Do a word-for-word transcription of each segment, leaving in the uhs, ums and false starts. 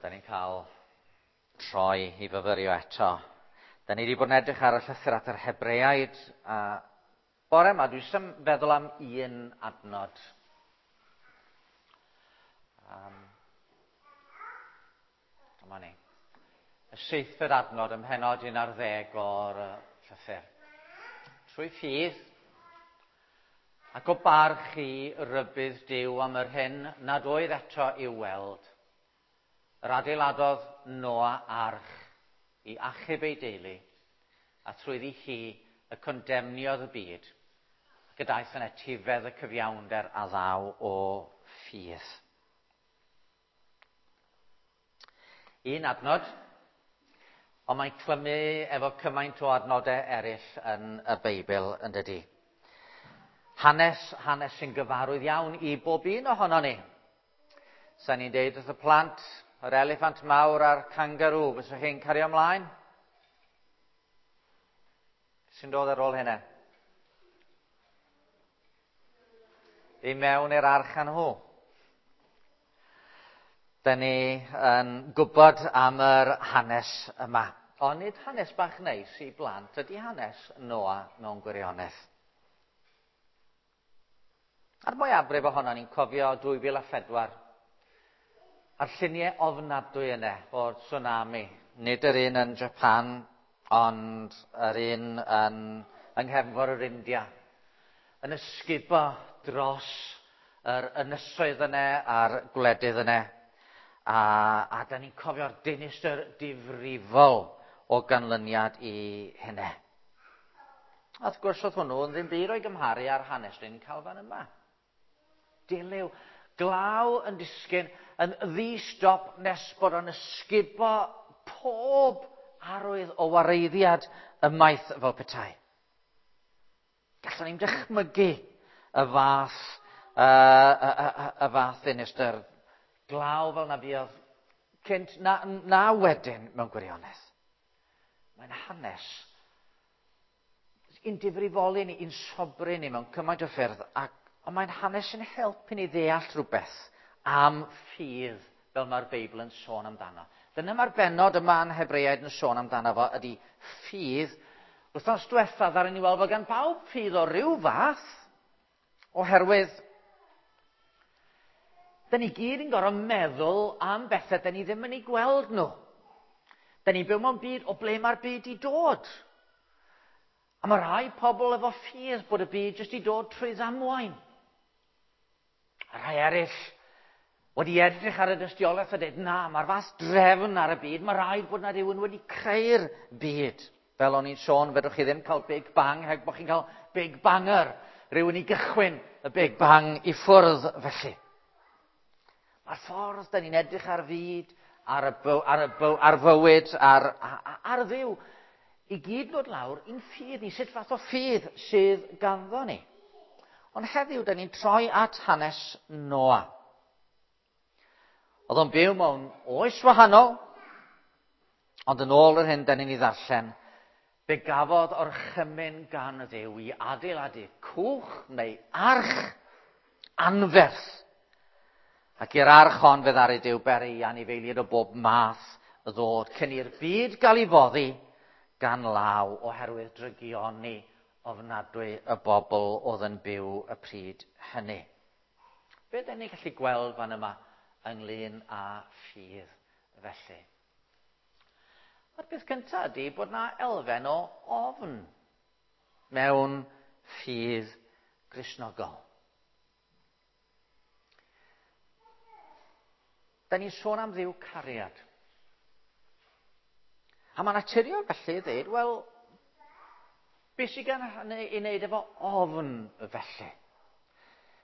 Da ni'n cael troi i fyfyrio eto. Da ni wedi bod yn edrych ar y llythyr at yr Hebreaid, a bore yma dwi jyst am feddwl am un adnod. Um, dyma ni. Y seithfed adnod ym mhennod un ar ddeg o'r llythyr. Trwy ffydd ac o barch i rybudd Duw am yr hyn nad oedd eto i'w weld, yr adeiladodd Noa arch i achub ei deulu, a trwyddi hi y condemniodd y byd, ac y daeth yn etifedd y cyfiawnder a ddaw o ffydd. Un adnod, ond mae'n clymu efo cymaint o adnodau eraill yn y Beibl, yn dydy. Hanes, hanes sy'n gyfarwydd iawn i bob un ohono ni. Sa'n ni'n deud wrth y plant, yr eliffant mawr a'r kangaroo, fyswch chi'n cario ymlaen? Sy'n dod ar ôl hynna? I mewn i'r arch â nhw. Da ni yn gwybod am yr hanes yma. Ond nid hanes bach neis i blant ydy hanes Noa mewn gwirionedd. A'r mwyafrif ohono ni'n cofio dwy fil a phedwar. A'r lluniau ofnadwy yna o'r tsunami. Nid yr un yn Japan, ond yr un yn, yng nghefnfor yr India. Yn ysgubo dros yr ynysoedd yna a'r gwledydd yna. A, a da ni'n cofio'r dinistr difrifol o ganlyniad i hynny. A wrth gwrs oedd hwnnw yn ddim byd o'i gymharu â'r hanes ni'n cael fan yma. Dilyw, glaw yn disgyn yn ddi-stop nes bod o'n ysgubo pob arwydd o wareiddiad ymaith fel petai. Gallwn ni'n dychmygu y fath, uh, y, y, y, y fath ddinistr. Glaw fel na fuodd cynt na, na wedyn mewn gwirionedd. Mae'n hanes un difrifoli ni, un sobri ni mewn cymaint o ffyrdd, ac, ond mae'n hanes yn helpu ni ddeall rhywbeth am ffydd fel mae'r Beibl yn sôn amdano. Dyna mae'r bennod yma yn Hebreaid yn sôn amdano fo, ydy ffydd. Wythnos diwetha ddaru ni weld fod gan bawb ffydd o ryw fath, oherwydd da ni gyd yn gorfod meddwl am bethau da ni ddim yn ei gweld nhw. Da ni'n byw mewn byd o ble mae'r byd i dod. A mae rhai pobl efo ffydd bod y byd jyst i dod trwy ddamwain. A rhai eraill wedi edrych ar y dystiolaeth a dweud, na, mae'r fath drefn ar y byd, mae rhaid bod na rhywun wedi creu'r byd. Fel o'n i'n sôn, fedrwch chi ddim cael Big Bang heb bod chi'n cael Big Banger. Rhywun i gychwyn y Big Bang i ffwrdd felly. Mae'r ffordd da ni'n edrych ar fyd, ar, y byw, ar, y byw, ar fywyd, ar, ar, ar Dduw, i gyd ddod lawr i'n ffydd ni, sut fath o ffydd sydd ganddo ni. Ond heddiw, da ni'n troi at hanes Noa. Oedd o'n byw mewn oes wahanol, ond yn ôl yr hyn da ni'n ei ddarllen, fe gafodd orchymyn gan y Dduw i adeiladu cwch neu arch anferth. Ac i'r arch hon fe ddaru Duw beri i anifeiliaid o bob math ddod cyn i'r byd gael ei foddi gan law oherwydd drygioni ofnadwy y bobl oedd yn byw y pryd hynny. Be dyn ni'n gallu gweld fan yma ynglyn â ffydd felly? A'r peth cyntaf ydy bod na elfen o ofn mewn ffydd Gristnogol. Da ni'n sôn am Dduw cariad. A mae'n naturiol felly i ddweud, wel, beth sydd gan i wneud efo ofn felly?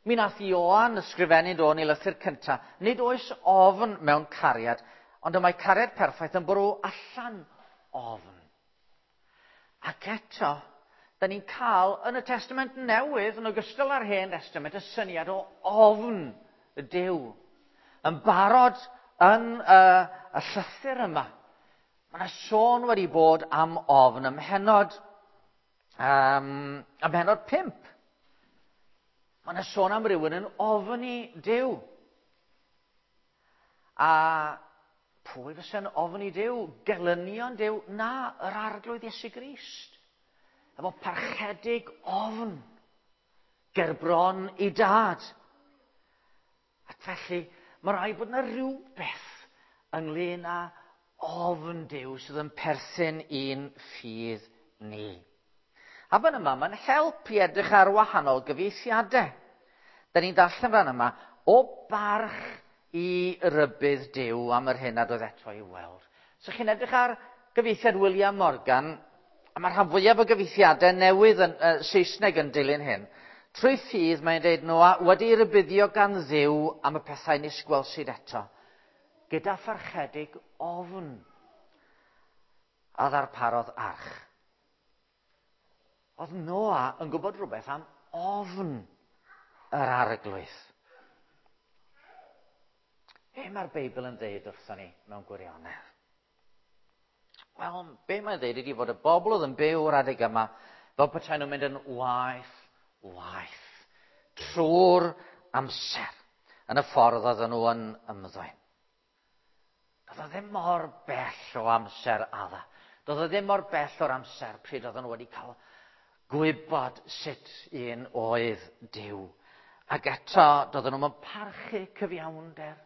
Mi nath Ioan ysgrifennu do yn ei lythyr cyntaf, nid oes ofn mewn cariad, ond y mae cariad perffaith yn bwrw allan ofn. Ac eto, da ni'n cael yn y Testament Newydd, yn ogystal â'r Hen Testament, y syniad o ofn y Duw. Yn barod yn y, y llythyr yma. Mae yna sôn wedi bod am ofn ym mhennod, um, ym mhennod pump. Mae yna sôn am rywun yn ofni Duw. A Pwy fysa'n ofni Duw? Gelynion Duw? Na, yr Arglwydd Iesu Grist. Efo parchedig ofn gerbron ei dad. Ac felly, mae rhaid bod yna rhywbeth ynglyn â ofn Duw sydd yn perthyn i'n ffydd ni. A fan yma, mae'n help i edrych ar wahanol gyfieithiadau. Da ni'n darllen fan yma, o barch i rybudd Duw am yr hyn nad oedd eto i'w weld. So chi'n edrych ar gyfieithiad William Morgan, a mae'r rhan fwyaf o gyfieithiadau newydd yn uh, Saesneg yn dilyn hyn. Trwy ffydd mae'n dweud Noa wedi rybuddio gan Dduw am y pethau nis gwelsid eto, gyda pharchedig ofn a ddarparodd arch. Oedd Noa yn gwybod rhywbeth am ofn yr Arglwydd. Be mae'r Beibl yn dweud wrthon ni mewn gwirionedd? Wel, be mae'n dweud ydy fod y bobl oedd yn byw o'r adeg yma fel petai nhw'n mynd yn waeth, waeth, trwy'r amser yn y ffordd oedden nhw yn ymddwyn. Doedd o ddim mor bell o amser Adda. Doedd o ddim mor bell o'r amser pryd oedden nhw wedi cael gwybod sut un oedd Duw. Ac eto, doedden nhw'n parchu cyfiawnder.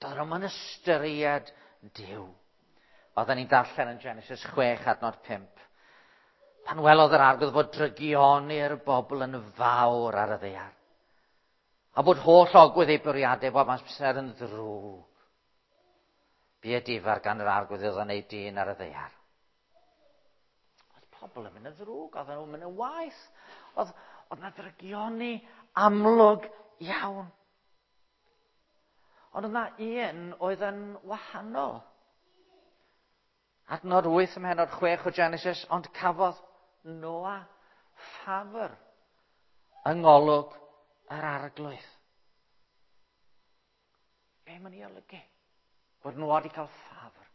Doedden nhw'n ystyried Duw. Oedden ni'n darllen yn Genesis chwech adnod pump. Pan welodd yr Arglwydd fod drygioni'r bobl yn fawr ar y ddaear, a bod holl ogwydd ei bwriadau bob amser yn ddrwg, bu edifar gan yr Arglwydd iddo wneud dyn ar y ddaear. Oedd pobl yn mynd yn ddrwg, oedden nhw'n mynd yn waeth, oedd, oedd na ddrygioni amlwg iawn. Ond oedd na un oedd yn wahanol. Adnod wyth ym mhennod chwech o Genesis, ond cafodd Noa ffafr yng ngolwg yr Arglwydd. Be mae'n ei olygu? Bod Noa wedi cael ffafr.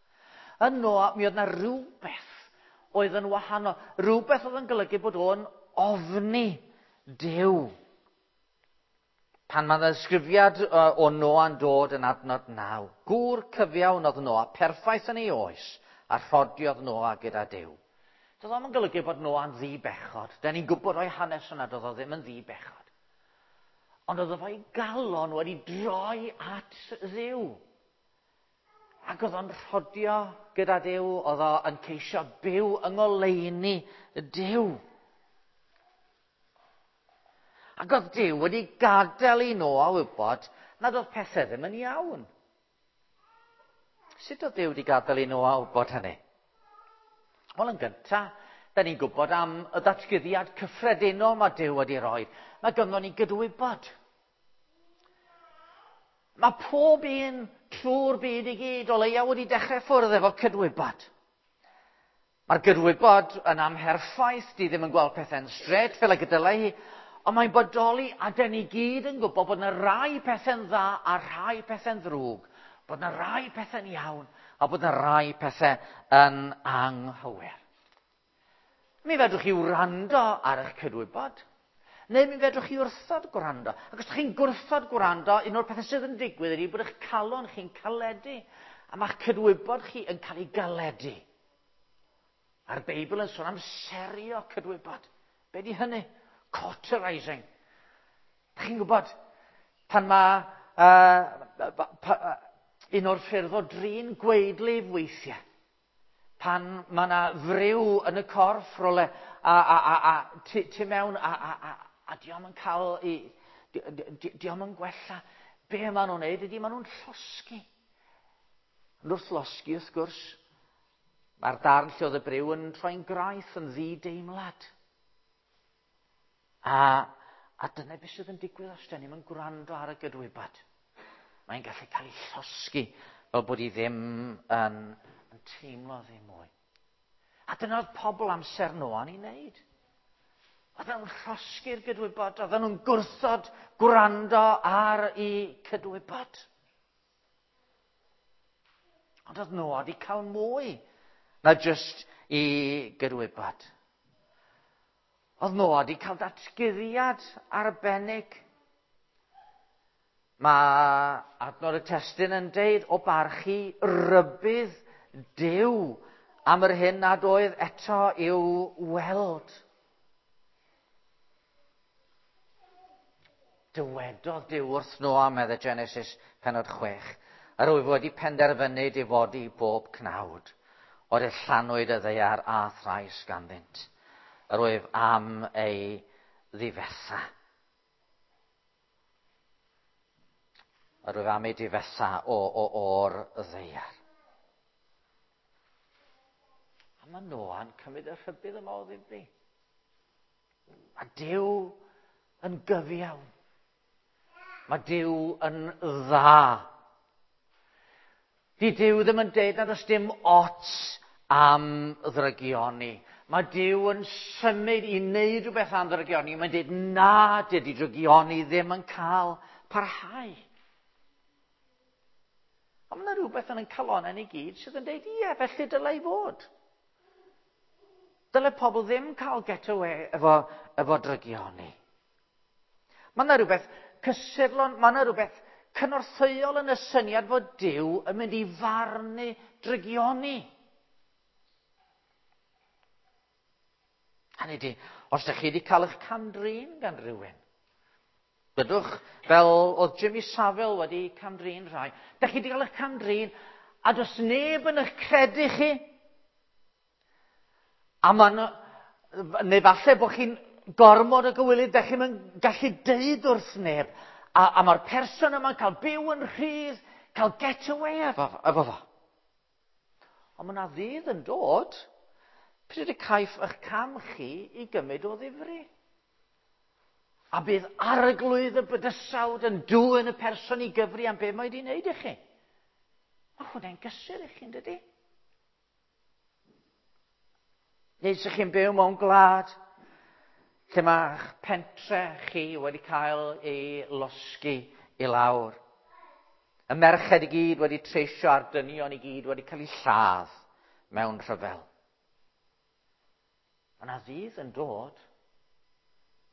Yn Noa, mi oedd na rhywbeth oedd yn wahanol. Rhywbeth oedd yn golygu bod o'n ofni Duw. Pan mae ddisgrifiad o Noa'n dod yn adnod naw, gŵr cyfiawn oedd Noa, perffaith yn ei oes, a rhodiodd Noa gyda Duw. Doedd o'm yn golygu bod Noa'n ddi-bechod. Da ni'n gwybod o'i hanes yna, doedd o ddim yn ddi-bechod. Ond oedd efo'i galon wedi droi at Dduw. Ac oedd o'n rhodio gyda Duw, oedd o'n ceisio byw yng ngoleuni Duw. Ac oedd Duw wedi gadael i Noa wybod nad oedd pethau ddim yn iawn. Sut oedd Duw wedi gadael i Noa wybod hynny? Wel, yn gyntaf, da ni'n gwybod am y ddatguddiad cyffredinol mae Duw wedi rhoi. Mae gynnon ni gydwybod. Mae pob un trwy'r byd i gyd o leia wedi dechrau ffwrdd efo cydwybod. Mae'r gydwybod yn amherffaith, di ddim yn gweld pethau'n straight fel y gydylai hi, ond mae'n bodoli a dyn ni gyd yn gwybod bod yna rai pethau'n dda a rhai pethau'n ddrwg, bod yna rai pethau'n iawn a bod yna rai pethau yn anghywir. Mi fedrwch chi wrando ar eich cydwybod, neu mi fedrwch chi wrthod gwrando. Ac os ydych chi'n gwrthod gwrando, un o'r pethau sydd yn digwydd ydy bod eich calon chi'n caledu, a mae'ch cydwybod chi yn cael ei galedu. A'r Beibl yn sôn am serio cydwybod. Be di hynny? Cauterizing. Dych chi'n gwybod, pan mae uh, pa, uh, un o'r ffyrdd o drin gwaedlif weithiau, pan mae yna friw yn y corff rhywle a, a, a, a tu, tu mewn a, a, a, a dio'm yn cael i, di, di, dio'm yn gwella, be maen nhw'n neud ydy maen nhw'n llosgi. Ond wrth losgi, wrth gwrs, mae'r darn lle oedd y briw yn troi'n graith, yn ddi-deimlad. A, a dyna beth sydd yn digwydd os da ni'm yn gwrando ar y gydwybod. Mae'n gallu cael ei llosgi fel bod hi ddim yn, yn teimlo ddim mwy. A dyna oedd pobl amser Noa'n ei wneud. Oedden nhw'n llosgi'r gydwybod, oedden nhw'n gwrthod gwrando ar eu cydwybod. Ond oedd Noa wedi cael mwy na jyst i gydwybod. Oedd Noa wedi cael datguddiad arbennig. Mae adnod y testun yn deud o barchu rybudd Duw am yr hyn nad oedd eto i'w weld. Dywedodd Duw wrth Noa, medde Genesis pennod chwech, yr wyf wedi penderfynu difodi bob cnawd, o'r llanwyd y ddaear a thrais ganddynt. Yr wyf am ei ddifetha. Yr wyf am ei difetha o, o, o'r ddaear. A mae Noa'n cymryd y rhybudd yma o ddifri. Mae Duw yn gyfiawn. Mae Duw yn dda. Di Duw ddim yn deud nad oes dim ots am ddrygioni. Mae Duw yn symud i wneud rhywbeth am ddrygioni. Mae'n deud na, dydy drygioni ddim yn cael parhau. A mae yna rhywbeth yn ein calonnau ni gyd sydd yn deud, ie, felly dylai fod. Dylai pobl ddim cael get away efo, efo drygioni. Mae yna rhywbeth cysurlon, mae yna rhywbeth cynorthwyol yn y syniad fod Duw yn mynd i farnu drygioni. Hynny ydi, os ydych chi wedi cael eich cam-drin gan rhywun, dydwch fel oedd Jimmy Savile wedi cam-drin rhai, ydych chi wedi cael eich cam-drin a does neb yn eich credu chi. A ma' neu falle bod chi'n gormod o gywilydd, ydych chi'n gallu deud wrth neb. A, a mae'r person yma'n cael byw yn rhydd, cael get away efo, efo fo. Ond mae yna ddydd yn dod pryd y caiff eich cam chi i gymryd o ddifri. A bydd arglwydd y bydysawd yn dwyn y person i gyfri am be mae wedi wneud i chi. Mae hwnna'n gysur i chi, yn dydi? Neu ydych chi'n byw mewn gwlad lle mae'ch pentre chi wedi cael ei losgi i lawr. Y merched i gyd wedi treisio a'r dynion i gyd wedi cael eu lladd mewn rhyfel. Mae yna ddydd yn dod,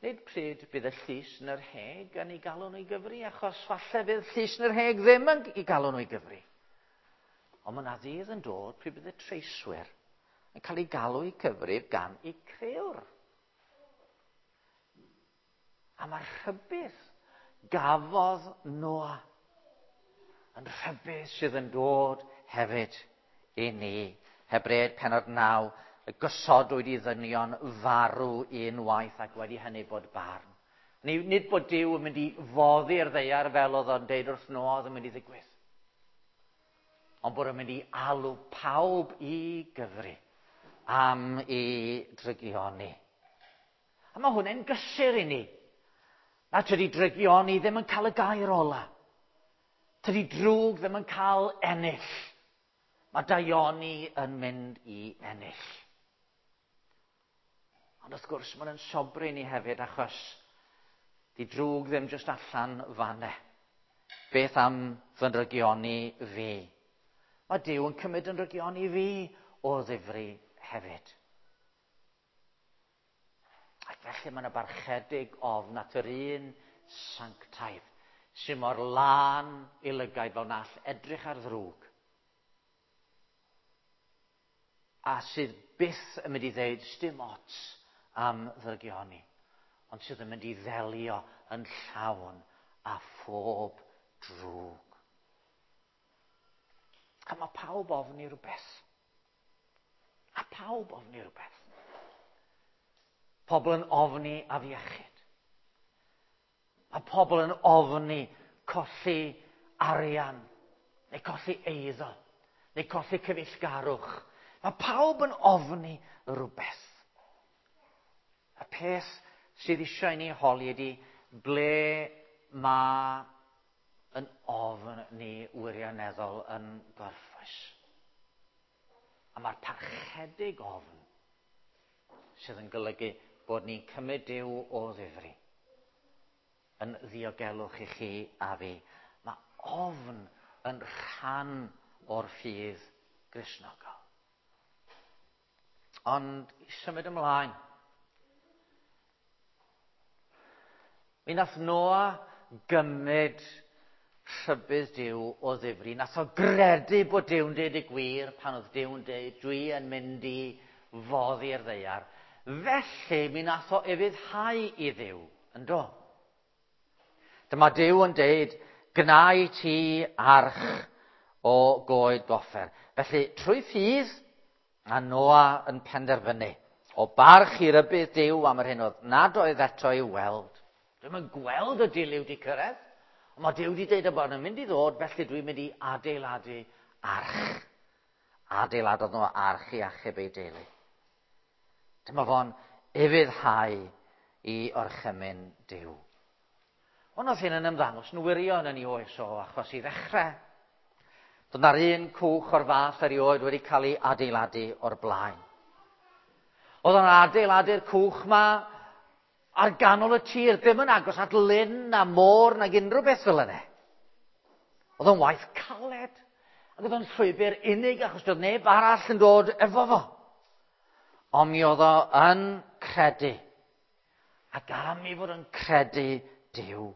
nid pryd bydd y llys yn yr Heg yn ei galw nhw i gyfri, achos falle bydd llys yn yr Heg ddim yn ei galw nhw i gyfri. Ond mae yna ddydd yn dod pryd bydd y treiswyr yn cael ei galw i cyfrif gan eu crëwr. A mae'r rhybudd gafodd Noa yn rhybudd sydd yn dod hefyd i ni. Hebreaid pennod naw, y gosodwyd i ddynion farw unwaith ac wedi hynny bod barn. Nid bod Duw yn mynd i foddi'r ddaear fel oedd o'n deud wrth Noa oedd yn mynd i ddigwydd. Ond bod o'n mynd i alw pawb i gyfri am ei drygioni. A mae hwnna'n gysur i ni. Na tydi drygioni ddim yn cael y gair ola. Tydi drwg ddim yn cael ennill. Mae daioni yn mynd i ennill. Ond wrth gwrs, mae'n sobri ni hefyd achos di drwg ddim jyst allan fanne. Beth am fy nrygioni fi? Mae Duw yn cymryd yn nrygioni fi o ddifri hefyd. Ac felly mae yna barchedig ofn at yr un sanctaidd sy'n mor lân i lygaid fel na all edrych ar ddrwg. A sydd byth yn mynd i ddeud sdim ots am ddrygioni, ond sydd yn mynd i ddelio yn llawn a phob drwg. A mae pawb ofni rhywbeth. A pawb ofni rhywbeth. Pobl yn ofni afiechyd. Mae pobl yn ofni colli arian, neu colli eiddo, neu colli cyfeillgarwch. Mae pawb yn ofni rhywbeth. Y peth sydd eisiau i ni holi ydy ble mae yn ofn ni wirioneddol yn gorffwys. A mae'r parchedig ofn sydd yn golygu bod ni'n cymryd Duw o ddifri yn ddiogelwch i chi a fi. Mae ofn yn rhan o'r ffydd Gristnogol. Ond i symud ymlaen, mi nath Noa gymryd rhybudd Duw o ddifri. Nath o gredu bod Duw'n deud y gwir pan oedd Duw'n deud dwi yn mynd i foddi'r ddaear. Felly mi nath o ufuddhau i Dduw, yn do? Dyma Duw yn deud, gna i ti arch o goed goffer. Felly, trwy ffydd, a Noa yn penderfynu o barch i rybudd Duw am yr hyn oedd nad oedd eto i'w weld. Dwi'm yn gweld y dilyw di cyrraedd, ond mae Duw wedi dweud y bod yn mynd i ddod, felly dwi'n mynd i adeiladu arch. Adeiladodd nhw arch i achub ei deulu. Dyma fo'n ufuddhau i orchymyn Duw. Ond oedd hyn yn ymddangos yn wirion yn ei oes o, achos i ddechrau, doedd na'r un cwch o'r fath erioed wedi cael ei adeiladu o'r blaen. Oedd o'n adeiladu'r cwch ma ar ganol y tir, ddim yn agos at lyn na môr nag unrhyw beth fel yna. Oedd o'n waith caled, ac oedd o'n llwybr unig achos doedd neb arall yn dod efo fo. Ond mi oedd o yn credu, ac am i fod yn credu Duw,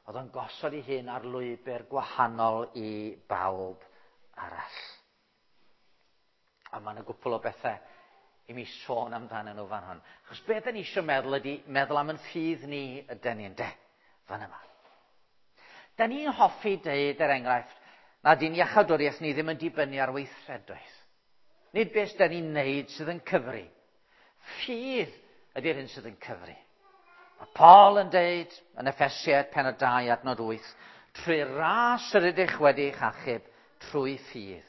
oedd o'n gosod ei hun ar lwybr gwahanol i bawb arall. A mae yna gwpl o bethau i mi sôn amdanyn nhw fan hwn. Achos beth da ni eisiau meddwl ydy meddwl am yn ffydd ni ydyn ni, ynde, fan yma. Da ni'n hoffi deud, er enghraifft, nad y'n iachawdwriaeth ni ddim yn dibynnu ar weithredoedd. Nid beth da ni'n neud sydd yn cyfri. Ffydd ydy'r hyn sydd yn cyfri. Mae Paul yn deud yn Effesiaid pennod dau adnod wyth, trwy ras yr ydych wedi eich achub, trwy ffydd.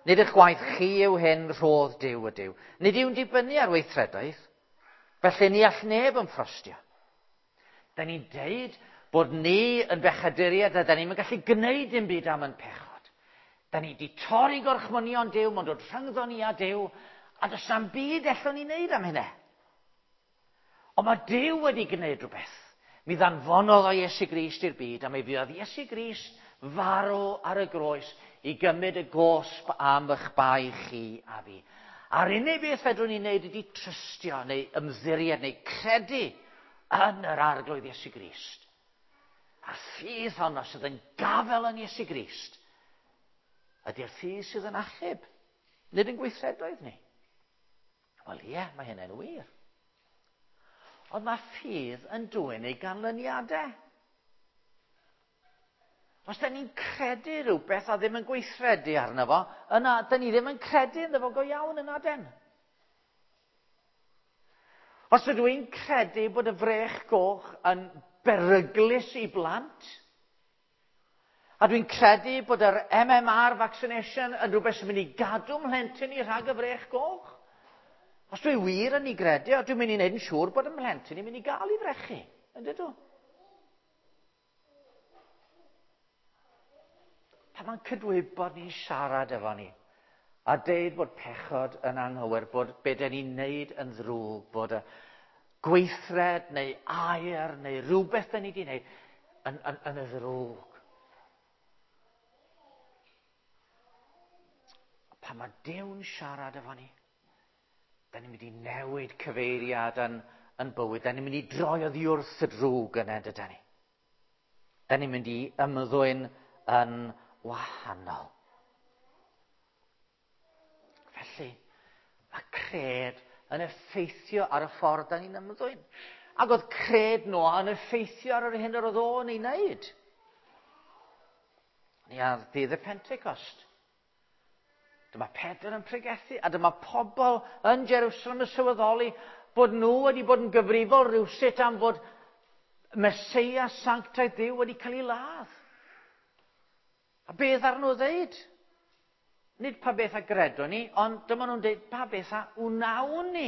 Nid eich gwaith chi yw hyn, rhodd Duw ydyw. Nid yw'n dibynnu ar weithredoedd, felly ni all neb yn ffrostio. Da ni'n deud bod ni yn bechaduriaid a da ni'n gallu gwneud dim byd am yn pechod. Da ni wedi torri gorchmynion Duw, mae'n dod rhyngddo ni a Duw, a does na'm byd ellwn ni wneud am hynny. Ond mae Duw wedi gwneud rhywbeth. Mi ddanfonodd o Iesu Grist i'r byd, a mi fuodd Iesu Grist farw ar y groes i gymryd y gosb am eich bai chi a fi. A'r unig beth fedrwn ni wneud ydy trystio neu ymddiried neu credu yn yr Arglwydd Iesu Grist. A'r ffydd honno sydd yn gafel yn Iesu Grist ydy'r ffydd sydd yn achub, nid yn gweithredoedd ni. Wel ie, mae hynny'n wir. Ond mae ffydd yn dwyn ei ganlyniadau. Os da ni'n credu rhywbeth a ddim yn gweithredu arno fo, yna da ni ddim yn credu ynddo fo go iawn yna den. Os ydw i'n credu bod y frech goch yn beryglus i blant, a dwi'n credu bod yr M M R vaccination yn rhywbeth sy'n mynd i gadw mhlentyn i rhag y frech goch, os dwi wir yn ei gredu, a dwi'n mynd i wneud yn siŵr bod y mhlentyn i'n mynd i gael ei frechu, yn dydw? Pan mae'n cydwybod ni'n siarad efo ni, a deud bod pechod yn anghywir, bod be dan ni'n neud yn ddrwg, bod y gweithred neu air neu rhywbeth dan ni wedi wneud yn, yn, yn y ddrwg. Pan mae Duw'n siarad efo ni, da ni'n mynd i newid cyfeiriad yn, yn bywyd, da ni'n mynd i droi oddi wrth y drwg yna, dydan ni. Da ni'n mynd i ymddwyn yn wahanol. Felly, mae cred yn effeithio ar y ffordd da ni'n ymddwyn. Ac oedd cred Noa yn effeithio ar yr hyn yr oedd o'n ei wneud. Ni ar ddydd y Pentecost. Dyma Pedr yn pregethu, a dyma pobl yn Jerusalem yn sylweddoli bod nhw wedi bod yn gyfrifol rhywsut am fod Meseia sanctaidd Duw wedi cael ei ladd. A beth ar nhw ddeud? Nid pa beth a gredwn ni, ond dyma nhw'n dweud pa beth a wnawn ni.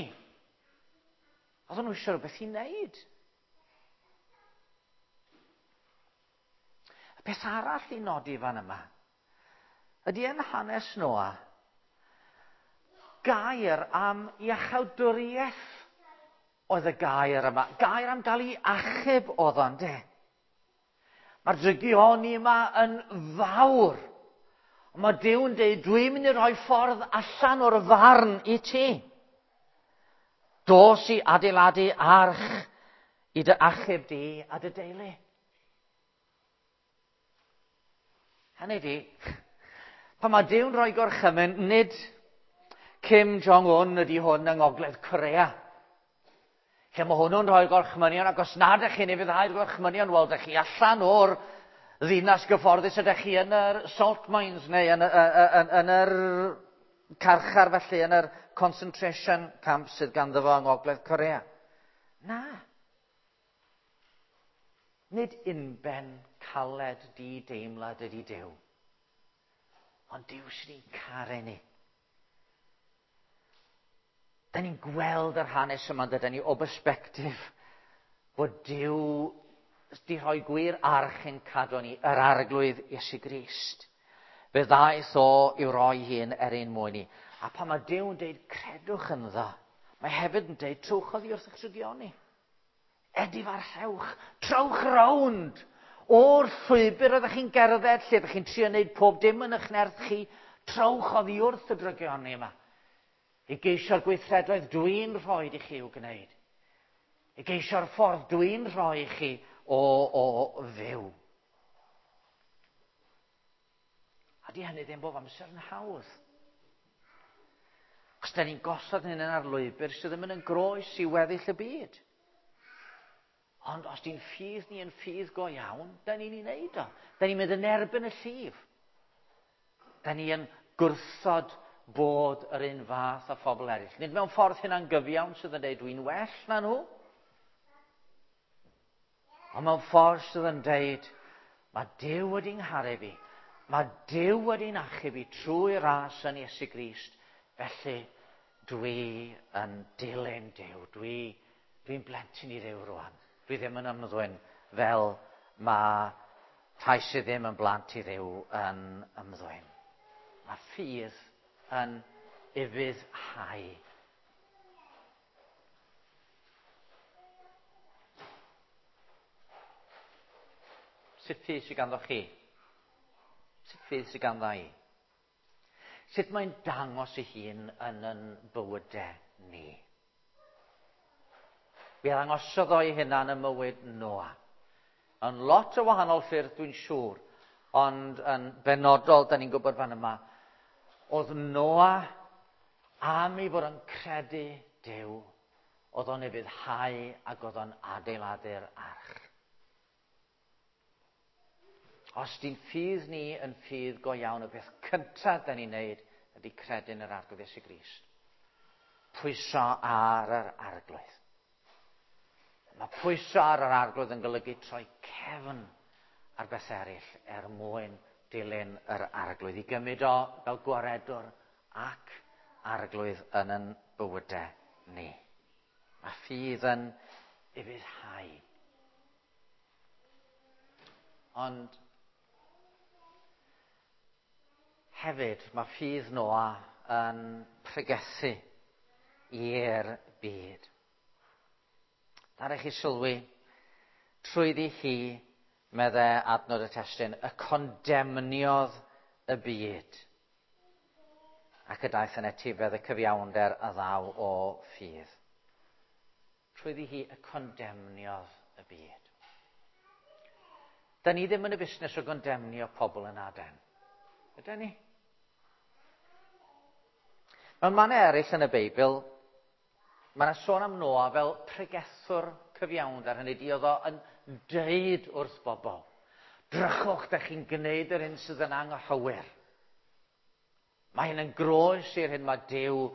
Oedden nhw eisiau rhywbeth i wneud. Y peth arall i nodi fan yma ydy yn hanes Noa gair am iachawdwriaeth oedd y gair yma. Gair am gael ei achub oedd o'n de. Mae'r drygioni yma yn fawr. Ond mae Duw'n dweud, dwi'n mynd i roi ffordd allan o'r farn i ti. Dos i adeiladu arch i dy achub di a dy deulu. Hynny di, pan mae Duw'n rhoi gorchymyn, nid Kim Jong-un ydy hwn yng Ngogledd Corea. Lle mae hwnnw'n rhoi gorchmynion, ac os nad ydych chi'n ufuddhau'r gorchmynion, wel, ydych chi allan o'r ddinas gyfforddus, ydych chi yn yr salt mines neu yn, yn, yn, yn yr carchar felly, yn yr concentration camp sydd ganddo fo yng Ngogledd Corea. Na. Nid unben caled di deimlad ydy Duw. Ond Duw sydd ni'n caru ni. Da ni'n gweld yr hanes yma, dydyn ni, o bersbectif bod Duw wedi rhoi gwir arch yn cadw ni, yr Arglwydd Iesu Grist. Fe ddaeth o i'w roi hun er ein mwyn ni. A pan mae Duw yn dweud credwch ynddo, mae hefyd yn dweud trowch oddi wrth eich drygioni. Edifarhewch, trowch rownd o'r llwybr oeddech chi'n gerdded, lle ydych chi'n trio wneud pob dim yn eich nerth chi, trowch oddi wrth y drygioni yma. I geisio'r gweithredoedd dwi'n rhoi i chi i'w gwneud. I geisio'r ffordd dwi'n rhoi i chi o, o fyw. A di hynny ddim bob amser yn hawdd. Os da ni'n gosod hyn ar lwybr sydd ddim yn groes i weddill y byd. Ond os di'n ffydd ni yn ffydd go iawn, da ni'n ei wneud o. Da ni'n mynd yn erbyn y llif. Da ni yn gwrthod bod yr un fath â phobl eraill. Nid mewn ffordd hynna'n gyfiawn sydd yn dweud dwi'n well na nhw. Ond mewn ffordd sydd yn dweud mae Duw wedi ngharu fi. Mae Duw wedi'n achub fi trwy ras yn Iesu Grist. Felly dwi yn dilyn Duw. Dwi, dwi'n blentyn i Dduw rwan. Dwi ddim yn ymddwyn fel mae rhai sydd ddim yn blant i Dduw yn ymddwyn. Mae ffydd yn ufuddhau. Sut ffydd sydd ganddo chi? Sut ffydd sydd ganddo i? Sut mae'n dangos ei hun yn yn bywydau ni? Mi ddangosodd o'i hunan ym mywyd Noa. Yn lot o wahanol ffyrdd dwi'n siŵr, ond yn benodol, da ni'n gwybod fan yma, oedd Noa am ei fod yn credu Duw, oedd o'n ufuddhau ac oedd o'n adeiladu'r arch. Os di'n ffydd ni yn ffydd go iawn, y beth cyntaf da ni'n neud ydy credu yn yr Arglwydd Iesu Grist. Pwyso ar yr Arglwydd. Mae pwyso ar yr Arglwydd yn golygu troi cefn ar beth eraill er mwyn dilyn yr Arglwydd, i gymryd o fel gwaredwr ac Arglwydd yn yn bywydau ni. Mae ffydd yn ufuddhau. Ond hefyd mae ffydd Noa yn pregethu i'r byd. Ddaru chi sylwi, trwyddi hi, meddai adnod y testun, y condemniodd y byd ac y daeth yn etifedd y cyfiawnder a ddaw o ffydd. Trwyddi hi y condemniodd y byd. Da ni ddim yn y busnes o gondemnio pobl yn Aden. Ydy ni? Mewn mannau eraill yn y Beibl, mae yna sôn am Noa fel pregethwr cyfiawnder. Hynny ydi, oedd o yn deud wrth bobl, drychwch, da chi'n gwneud yr hyn sydd yn anghywir. Mae hyn yn groes i'r hyn mae Duw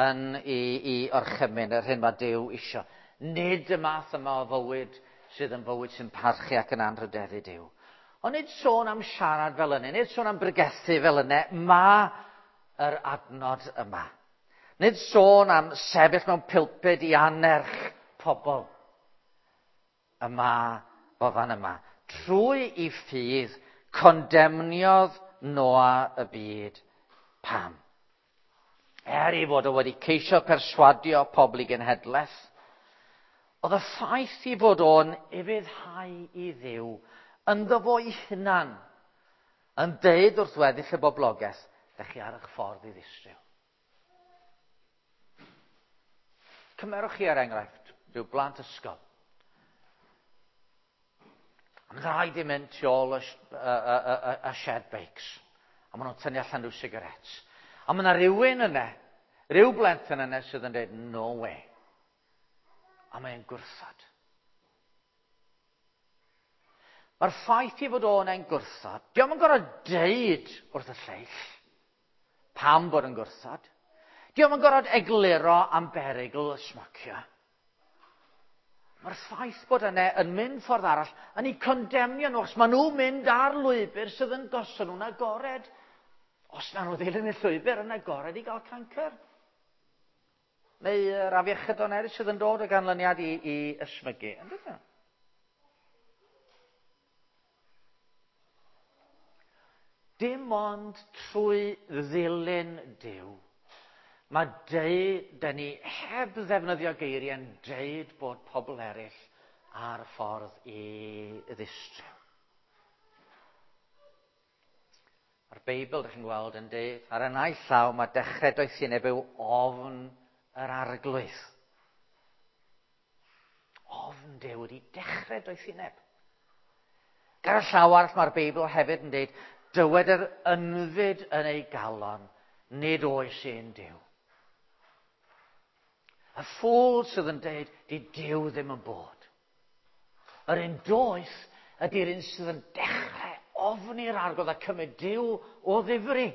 yn ei, ei orchymyn, yr hyn mae Duw isio. Nid y math yma o fywyd sydd yn fywyd sy'n parchu ac yn anrhydeddu Duw. Ond nid sôn am siarad fel yna, nid sôn am bregethu fel yna, mae yr adnod yma. Nid sôn am sefyll mewn pulpud i annerch pobl. Yma, fo fan yma. Trwy i ffydd, condemniodd Noa y byd. Pam? Er ei fod o wedi ceisio perswadio pobl i genhedlaeth, oedd y ffaith i fod o'n ufuddhau i Dduw ynddo fo'i hunan yn deud wrth weddill y boblogaeth, dach chi ar eich ffordd i ddistryw. Cymerwch chi er enghraifft rhyw blant ysgol. A mae'n rhaid i mynd tu ôl y, y, y, y, y shed bikes. A maen nhw'n tynnu allan rhyw sigaret. A mae yna rhywun yna, rhyw blentyn yna sydd yn dweud, "No way." A mae'n gwrthod. Mae'r ffaith i fod o'n e'n gwrthod, dio'm yn gorfod deud wrth y lleill pam bod yn gwrthod. Dio'm yn gorfod egluro am berygl y smocio. Mae'r ffaith bod yna yn mynd ffordd arall yn eu condemnio nhw, achos maen nhw'n mynd ar lwybr sydd yn gosod nhw'n agored. Os na nhw ddilyn y llwybr yn agored i gael cancer. Neu yr afiechydon eraill sydd yn dod o ganlyniad i, i ysmygu. Yn dydyn? Dim ond trwy ddilyn Duw, mae deud, da ni heb ddefnyddio geiriau yn deud bod pobl eraill ar y ffordd i ddistryw. Mae'r Beibl, ydych chi'n gweld, yn deud, ar y naill llaw mae dechrau doethineb yw ofn yr Arglwydd. Ofn Duw wedi dechrau doethineb. Ar y llaw arall mae'r Beibl hefyd yn deud, dywed yr ynfyd yn ei galon, nid oes un Duw. Y ffôl sydd yn deud, di Duw ddim yn bod. Yr un doeth ydy'r un sydd yn dechrau ofni'r Arglwydd a cymryd Duw o ddifri.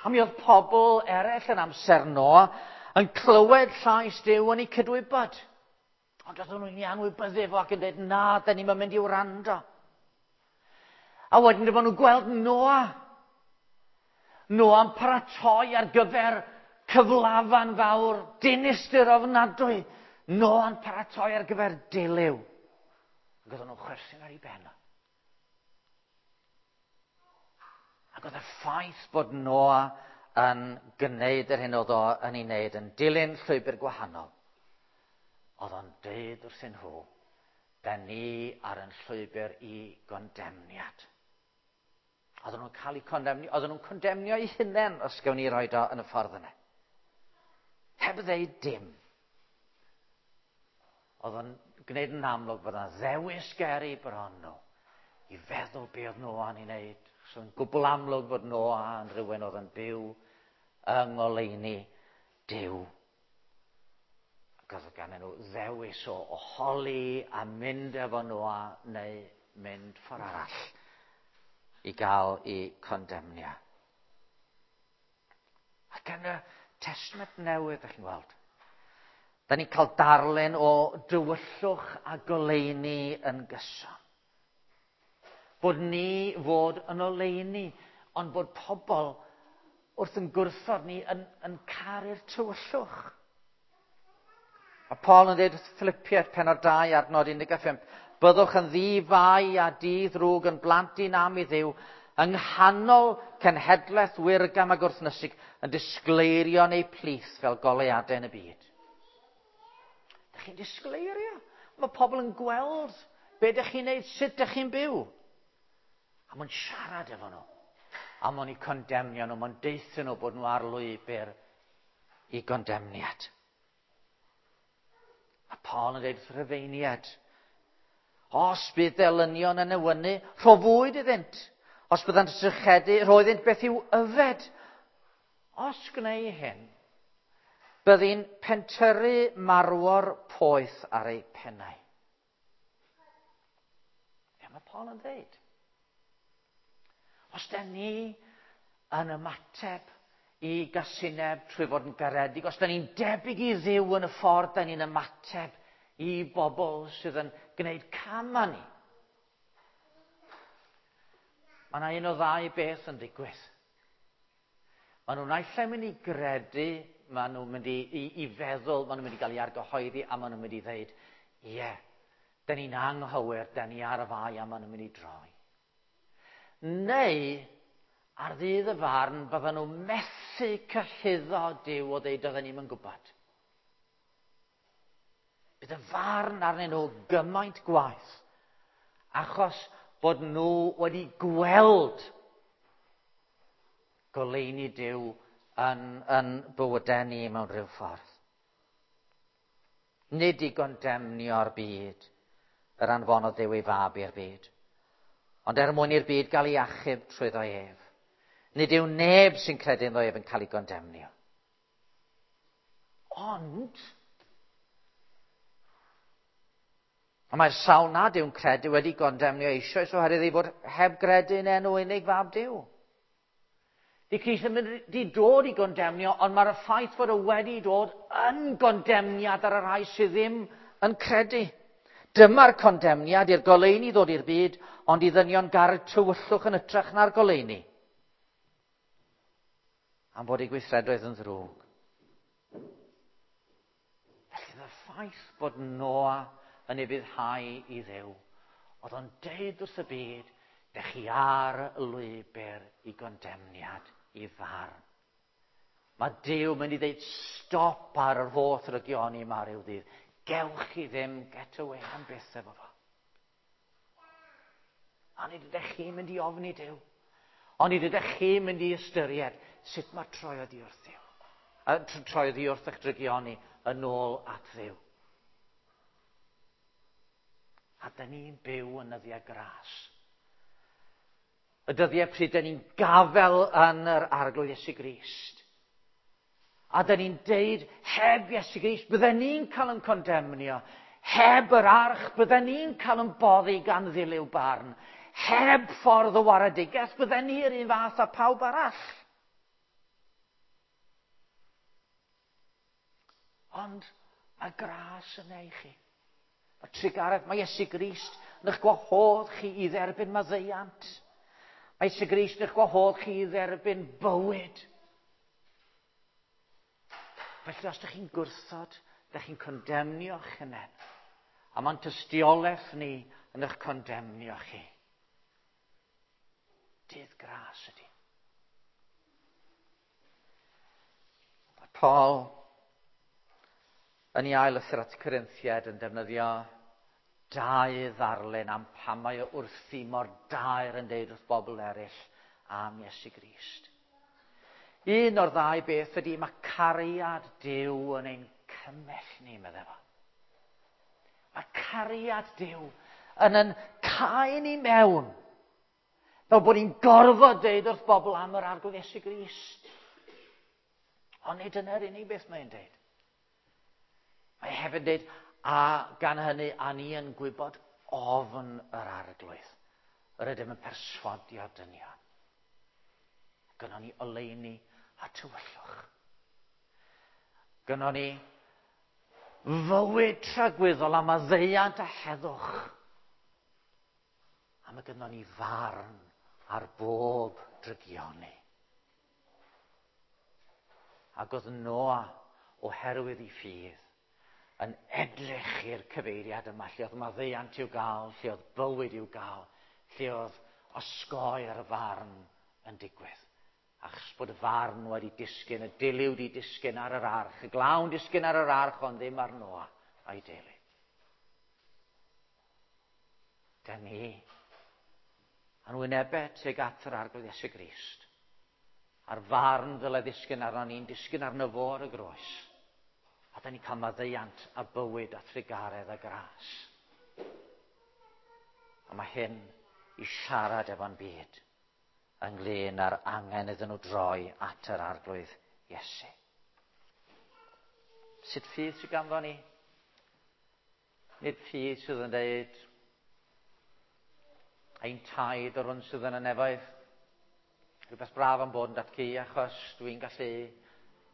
A mi oedd pobl eraill yn amser Noa yn clywed llais Duw yn eu cydwybod. Ond oedden nhw'n ei anwybyddu fo ac yn dweud, na, da ni'n mynd i wrando. A wedyn dyma nhw'n gweld Noa. Noa'n paratoi ar gyfer cyflafan fawr, dinistr ofnadwy. Noa'n paratoi ar gyfer dilyw. Ac oedden nhw'n chwerthin ar ei ben. Ac oedd y ffaith bod Noa yn gwneud yr hyn oedd o yn ei wneud, yn dilyn llwybr gwahanol, oedd o'n deud wrthyn nhw, da ni ar yn llwybr i gondemniad. Oedden nhw'n cael eu condemnio, oedden nhw'n condemnio eu hunain, os gawn ni roed o yn y ffordd yna. Heb ddeud dim. Oedd o'n gwneud yn amlwg bod yna ddewis ger eu bron nhw i feddwl be oedd Noa'n ei wneud. So yn gwbl amlwg bod Noa yn rhywun oedd yn byw yng ngoleuni Duw. Ac oedd gan nhw ddewis o oholi a mynd efo Noa neu mynd ffordd arall i gael eu condemnio. Ac yn y Testament Newydd, ydych chi'n gweld, da ni'n cael darlun o dywyllwch a goleuni yn gyson. Bod ni fod yn oleuni, ond bod pobl wrth yn gwrthod ni yn, yn caru'r tywyllwch. A Paul yn dweud wrth Philippiaid pennod dau adnod un deg pump, byddwch yn ddi-fai a di-ddrwg yn blant un am i Dduw, yng nghanol cenhedlaeth wirgam a gwrthnysig, yn disgleirio yn eu plith fel goleuadau yn y byd. Dych chi'n disgleirio? Mae pobl yn gweld be dych chi'n neud, sut dych chi'n byw. A mae'n siarad efo nhw. A mae'n eu condemnio nhw, mae'n deutha nhw bod nhw ar lwybr i gondemniad. A Paul yn dweud wrth Rufeiniaid, os bydd elynion yn newynu, rho fwyd iddynt. Os byddant yn sychedu, rho iddynt beth i'w yfed. Os gneu hyn, byddi'n pentyrru marwor poeth ar eu pennau. Be mae Paul yn dweud? Os da ni yn ymateb i gasineb trwy fod yn garedig, os da ni'n debyg i Dduw yn y ffordd da ni'n ymateb i bobl sydd yn gwneud cam â ni, mae yna un o ddau beth yn digwydd. Maen nhw'n naill ai mynd i gredu, maen nhw'n mynd i, i, i feddwl, maen nhw'n mynd i gael ei argyhoeddi, a maen nhw'n mynd i ddeud, ie, yeah, da ni'n anghywir, da ni ar y fai, a maen nhw'n mynd i droi. Neu, ar ddydd y farn, bydden nhw methu cyhuddo Duw o ddeud oedden ni'm yn gwybod. Bydd y farn arnyn nhw gymaint gwaeth, achos bod nhw wedi gweld goleuni Duw yn, yn bywydau ni mewn rhyw ffordd. Nid i gondemnio'r byd yr anfonodd Duw ei fab i'r byd, ond er mwyn i'r byd gael ei achub trwyddo ef. Nid yw neb sy'n credu ynddo ef yn cael ei gondemnio. Ond, a mae'r sawl nad yw'n credu wedi gondemnio eisoes oherwydd ei fod heb gredu yn enw unig fab Duw. Di Crist ddim wedi dod i gondemnio, ond mae'r ffaith fod o wedi dod yn gondemniad ar y rhai sydd ddim yn credu. Dyma'r condemniad i'r goleuni ddod i'r byd, ond i ddynion garu'r tywyllwch yn hytrach na'r goleuni. Am fod ei gweithredoedd yn ddrwg. Felly y ffaith bod Noa yn ufuddhau i Dduw, oedd o'n deud wrth y byd, dych chi ar y lwybr i gondemniad, i farn. Mae Duw mynd i ddeud stop ar yr holl ddrygioni yma ryw ddydd. Gewch chi ddim get away am byth efo fo. A nid ydych chi'n mynd i ofni Duw. Ond nid ydych chi'n mynd i ystyried sut mae troi oddi wrth Dduw. A troi oddi wrth eich drygioni yn ôl at Dduw. A da ni'n byw yn nyddiau gras. Y dyddiau pryd da ni'n gafel yn yr Arglwydd Iesu Grist. A da ni'n deud, heb Iesu Grist, bydden ni'n cael yn condemnio. Heb yr arch, bydden ni'n cael yn boddi gan ddilyw barn. Heb ffordd o waredigaeth, bydden ni'r un fath â pawb arall. Ond mae gras yna i chi. Mae trugaredd, mae Iesu Grist yn eich gwahodd chi i dderbyn maddeuant. Mae Iesu Grist yn eich gwahodd chi i dderbyn bywyd. Felly os ydych chi'n gwrthod, ydych chi'n condemnio'ch hunain. A mae'n tystiolaeth ni yn eich condemnio chi. Dydd gras ydy. Mae Paul yn ei ail lythyr at Corinthiaid yn defnyddio dau ddarlun am pam mae o wrthi mor daer yn deud wrth bobl eraill am Iesu Grist. Un o'r ddau beth ydy mae cariad Duw yn ein cymell ni, meddai fo. Mae cariad Duw yn yn cau ni mewn, fel bod ni'n gorfod deud wrth bobl am yr Arglwydd Iesu Grist. Ond nid dyna'r unig beth mae'n deud. Mae hefyd deud, a gan hynny, a ni yn gwybod ofn yr Arglwydd. Yr ydym yn perswadio dynion. Gynnon ni oleuni a tywyllwch. Gynnon ni fywyd tragwyddol a maddeuant a heddwch. A mae gynnon ni farn ar bob drygioni. Ac oedd Noa, oherwydd ei ffydd, yn edrych i'r cyfeiriad yma, lle oedd maddeuant i'w gael, lle oedd bywyd i'w gael, lle oedd osgoi'r farn yn digwydd. Achos bod y farn wedi disgyn, y dilyw wedi disgyn ar yr arch, y glawn disgyn ar yr arch, ond ddim ar Noa a'i deulu. Da ni yn wynebau tuag at yr Arglwydd Iesu Grist, a'r farn ddyle ddisgyn arno ni'n disgyn arno fo ar y groes. A da ni'n cael maddeuant a bywyd a trugaredd a gras. A mae hyn i siarad efo'n byd ynglyn â'r angen iddyn nhw droi at yr Arglwydd Iesu. Sut ffydd sydd ganddo ni? Nid ffydd sydd yn dweud ein taid o'r hwn sydd yn y nefoedd. Rhywbeth braf am bod yn datgu achos dwi'n gallu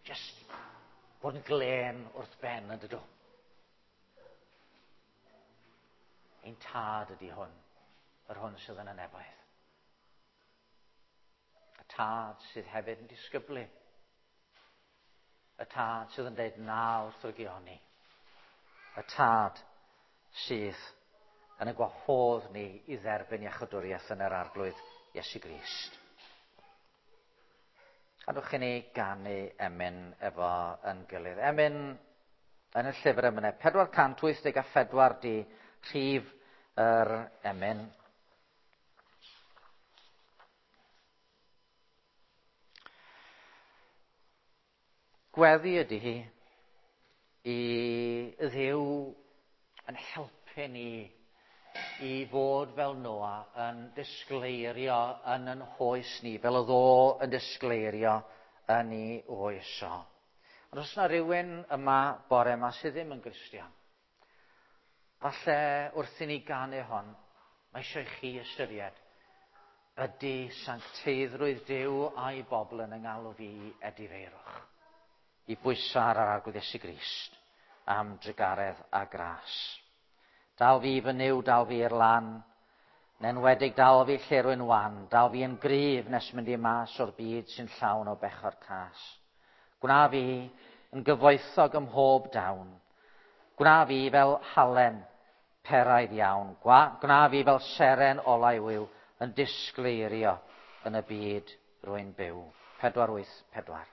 just bod yn glên wrth ben yn dydw. Ein tad ydy hwn, yr hwn sydd yn y nefoedd. Y tad sydd hefyd yn disgyblu. Y tad sydd yn dweud na wrth drygioni. Y tad sydd yn y gwahodd ni i dderbyn iachawdwriaeth yn yr Arglwydd Iesu Grist. Gadwch i ni ganu emyn efo yn gilydd. Emyn yn y llyfr emynau, pedwar cant wyth deg a phedwar di rhif yr emyn. Gweddi ydy hi i Dduw yn helpu ni i fod fel Noa yn disgleirio yn yn hoes ni, fel oedd o yn disgleirio yn ei oes o. Ond os yna rhywun yma bore yma sydd ddim yn Gristion, falle wrth i ni ganu hon, mae eisiau i chi ystyried ydy sancteiddrwydd Duw a'i bobl yn yng ngalw fi i edifeirwch, i bwyso ar yr Arglwydd Iesu Grist am drugaredd a gras. Dal fi fy Nuw, dal fi i'r lan, yn enwedig dal fi lle rwy'n wan, dal fi yn gryf nes mynd i mas o'r byd sy'n llawn o bechod cas. Gwna fi yn gyfoethog ym mhob dawn. Gwna fi fel halen peraidd iawn. Gwna fi fel seren olau wiw yn disgleirio yn y byd rwy'n byw. Pedwar wyth pedwar.